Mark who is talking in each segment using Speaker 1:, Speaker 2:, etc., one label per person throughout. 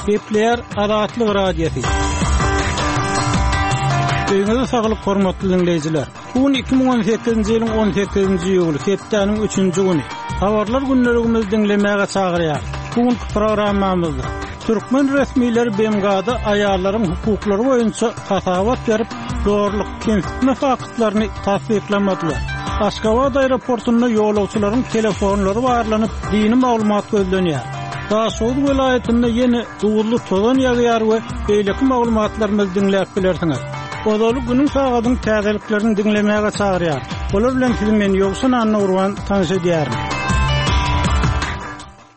Speaker 1: Gepleýär Azatlyk Radiosy. Öýüňize saglyk hormatly diňleýjiler. Bu gün 2018-nji ýylyň 18-nji iýuly, hepdäniň üçünji güni. Habarlar gündeligimizi diňlemäge çagyrýar. Bu günki programmamyzda türkmen resmileri BMG-da aýallaryň hukuklary boýunça hasabat berip, zorluk, kemsitme faktlaryny tassyklamadylar. Aşgabat aeroportunda ýolagçylaryň telefonlary barlanyp, dini maglumat gözlenýär. Daşoguz welaýatynda ýene duzly tozan ýagýar we beýleki maglumatlarymyzy diňläp bilersiňiz. Ozaly günüň sagadyň täzeliklerini diňlemäge çagyrýar. Olar bilen sizi men Ýowşan Annagurban tanyş edýärin.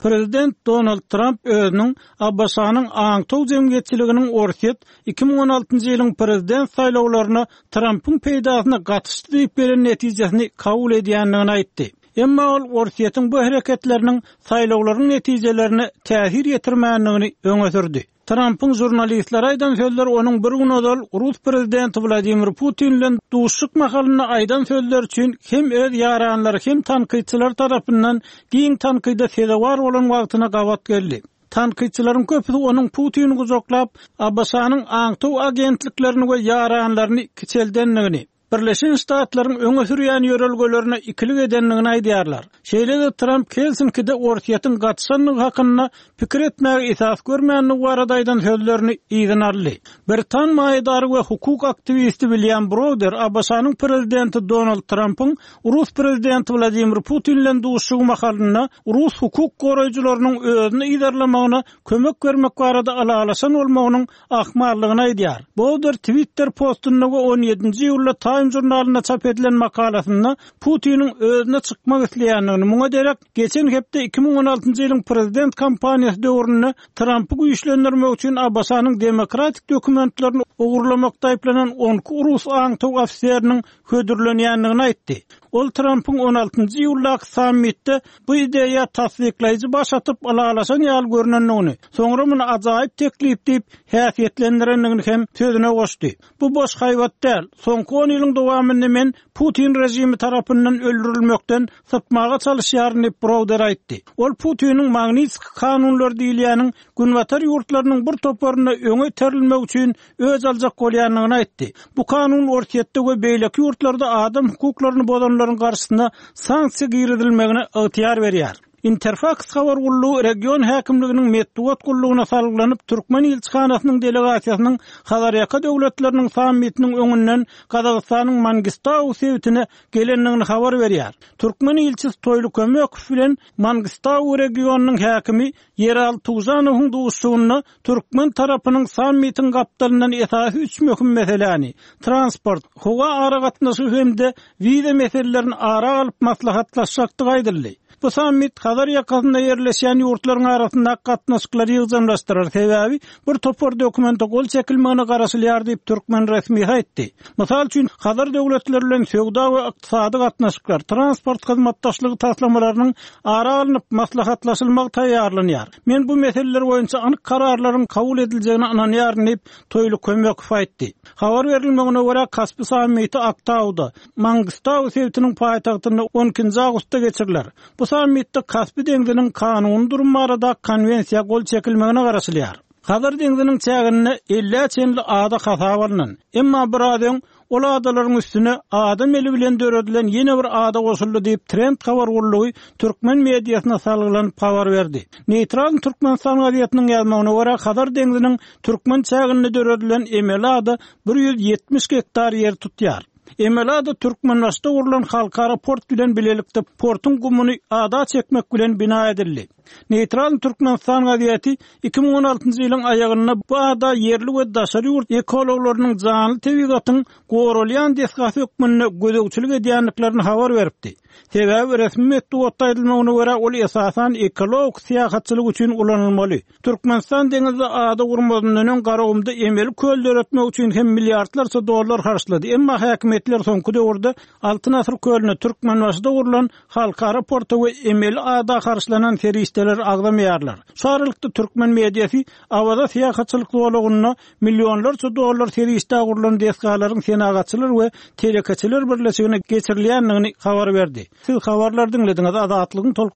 Speaker 1: Prezident Donald Tramp özüniň ABŞ-nyň aňtaw jemgyýetçiliginiň Orsýet 2016-njy ýylyň prezident saýlawlaryna Trampyň peýdasyna gatyşdy diýip gelen netijesini kabul edýändigini aýtdy. Emma ol Orsýetiň bu hereketleriniň saýlawlaryň netijelerine täsir ýetirmändigini öňe sürdi. Trampyň žurnalistlere aýdan sözleri onuň bir gün ozal rus prezidenti Wladimir Putin bilen duşuşyk mahalynda aýdan sözleri üçin hem öz ýaranlary hem tankytçylar tarapyndan giň tankyda sezewar bolan wagtyna gabat geldi. Tankytçylaryň köpüsi onuň Putini gujaklap, ABŞ-nyň aňtaw agentliklerini we ýaranlaryny kiçeldendigini, Birleşen Ştatlaryň öňe sürýän ýörelgelerine ikilik edendigini aýdýarlar. Şeýle-de Tramp Helsinkide Orsýetiň gatyşandygy hakynda pikir etmäge esas görmändigi barada aýdan sözlerini yzyna aldy. Britan maýadary we hukuk aktiwisti Wilýam Browder ABŞ-nyň prezidenti Donald Trampyň rus prezidenti Wladimir Putin bilen duşuşygy mahalynda rus hukuk goraýjylarynyň özüni yzarlamagyna kömek bermek barada ylalaşan bolmagynyň ahmallygyny aýdýar. Bowder Twitter postunda we on ýedinji iýulda Time žurnalynda çap edilen makalasynda Putiniň özüne çykmak isleýändigini, muňa derek geçen hepde 2016-njy ýylyň prezident kampaniýasy döwründe Trampy güýçlendirmek üçin ABŞ-nyň demokratik dokumentlerini ogurlamakda aýyplanan on iki rus aňtaw ofiseriniň hödürlenýändigini aýtdy. Ol Trampyň on altynjy iýuldaky sammitde bu ideýa tassyklaýjy baş atyp ylalaşan ýaly görnendigini, soňra muny ajaýyp teklip diýip häsiýetlendirendigini hem sözüne goşdy. Bu boş haýbat däl. Soňky on ýylyň dowamynda men Putin režimi tarapyndan öldürilmekden sypmaga çalyşýaryn diýip, Browder aýtdy. Ol Putiniň Magnitskiý kanunlary diýilýäniň Günbatar ýurtlarynyň bir toparyna öňe iterilmegi üçin öç aljak bolýandygyny aýtdy. Bu kanun Orsýetde we beýleki ýurtlarda adam hukuklaryny bozanlaryň garşysyna sanksiýa girizilmegine ygtyýar berýär. Interfaks habar gullugy region häkimliginiň metbugat gullugyna salgylanyp, türkmen ilçihanasynyň delegasiýasynyň Hazarýaka döwletleriniň sammitiniň öňünden Gazagystanyň Mangistau sebitine gelendigini habar berýär. Türkmen ilçisi Toýly Kömekow bilen Mangistau regionynyň häkimi Ýeraly Tugžanowyň duşuşygynda türkmen tarapynyň sammitiň gapdalyndan esasy üç möhüm meseläni, transport, howa aragatnaşygy hem-de wiza meselelerini ara alyp maslahatlaşjakdygy aýdyldy. Bu sammit Hazar ýakasynda ýerleşýän ýurtlaryň arasyndaky gatnaşyklary ýygjamlaşdyrar, sebäbi bir topar dokumente gol çekilmegine garaşylýar diýip, türkmen resmisi aýtdy. Mysal üçin, Hazar döwletleri bilen söwda we ykdysady gatnaşyklar, transport hyzmatdaşlygy taslamalarynyň ara alnyp maslahatlaşylmagy taýýarlanýar. Men bu meseleler boýunça anyk kararlaryň kabul ediljegine ynanýaryn diýip, Toýly Kömekow aýtdy. Habar berilmegine görä, Kaspi sammiti Aktauda, Mangistau sebitiniň paýtagtynda on ikinji awgustda geçiriler. Bu sammitde Kaspi deňziniň kanuny durumy baradaky konwensiýa gol çekilmegine garaşylýar. Hazar deňziniň çäginde ellä çenli ada hasaba alnan. Emma biraz öň ol adalaryň üstüne adam eli bilen döredilen ýene bir ada goşuldy diýip, Trend habar gullugy türkmen mediasyna salgylanyp habar berdi. Neýtral Türkmenistan gazetiniň ýazmagyna görä, Hazar deňziniň türkmen çäginde döredilen emeli ada 170 gektar ýer tutýar. Emeli ada Türkmenbaşyda gurlan halkara port bilen bilelikde portuň gumuny ada çekmek bilen bina edildi. Neýtral Türkmenistan gazeti 2016-njy ýylyň aýagynda bu ada ýerli we daşary ýurt ekologlarynyň janly tebigatyň goralýan desgasy hökmünde gözegçilik edýändiklerini habar beripdi. Sebäbi resmi metbugatda aýdylmagyna görä, ol esasan ekologik syýahatçylyk üçin ulanylmaly. Türkmenistan deňizde ada gurmazyndan öň Garagumda emeli köl döretmek üçin hem milliardlarça dollar harçlady. Emma häkimiýetler soňky döwürde Altyn asyr kölüne Türkmenbaşyda gurlan halkara porta we emeli ada harçlanan serişdeleri agzamaýarlar. Şu aralykda türkmen mediasy Awaza syýahatçylyk zolagynda millionlarça dollar serişdä gurlan desgalaryň Senagatçylar we telekeçiler birleşigine geçirilýändigini habar berdi. Siz habarlary diňlediňiz, Azatlygyň tolkunlary.